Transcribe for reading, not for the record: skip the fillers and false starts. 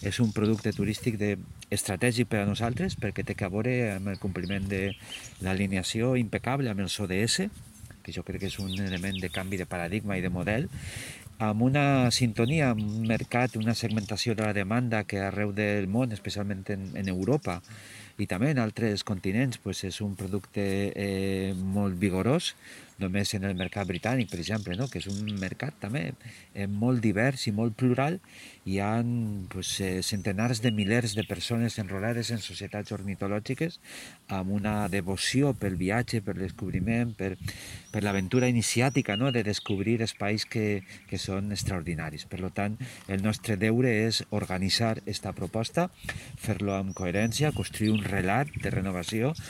és un producte turístic estratègic per a nosaltres perquè té a veure amb el compliment de l'alineació impecable amb els ODS, que jo crec que és un element de canvi de paradigma i de model, amb una sintonia, amb un mercat, una segmentació de la demanda que arreu del món, especialment en Europa i també en altres continents, pues és un producte molt vigorós, només en el mercat britànic, per exemple, no? Que és un mercat també molt divers i molt plural. Hi ha pues, centenars de milers de persones enrolades en societats ornitològiques amb una devoció pel viatge, per el descobriment, per l'aventura iniciàtica, no? De descobrir espais que són extraordinaris. Per tant, el nostre deure és organitzar aquesta proposta, fer-lo amb coherència, construir un relat de renovació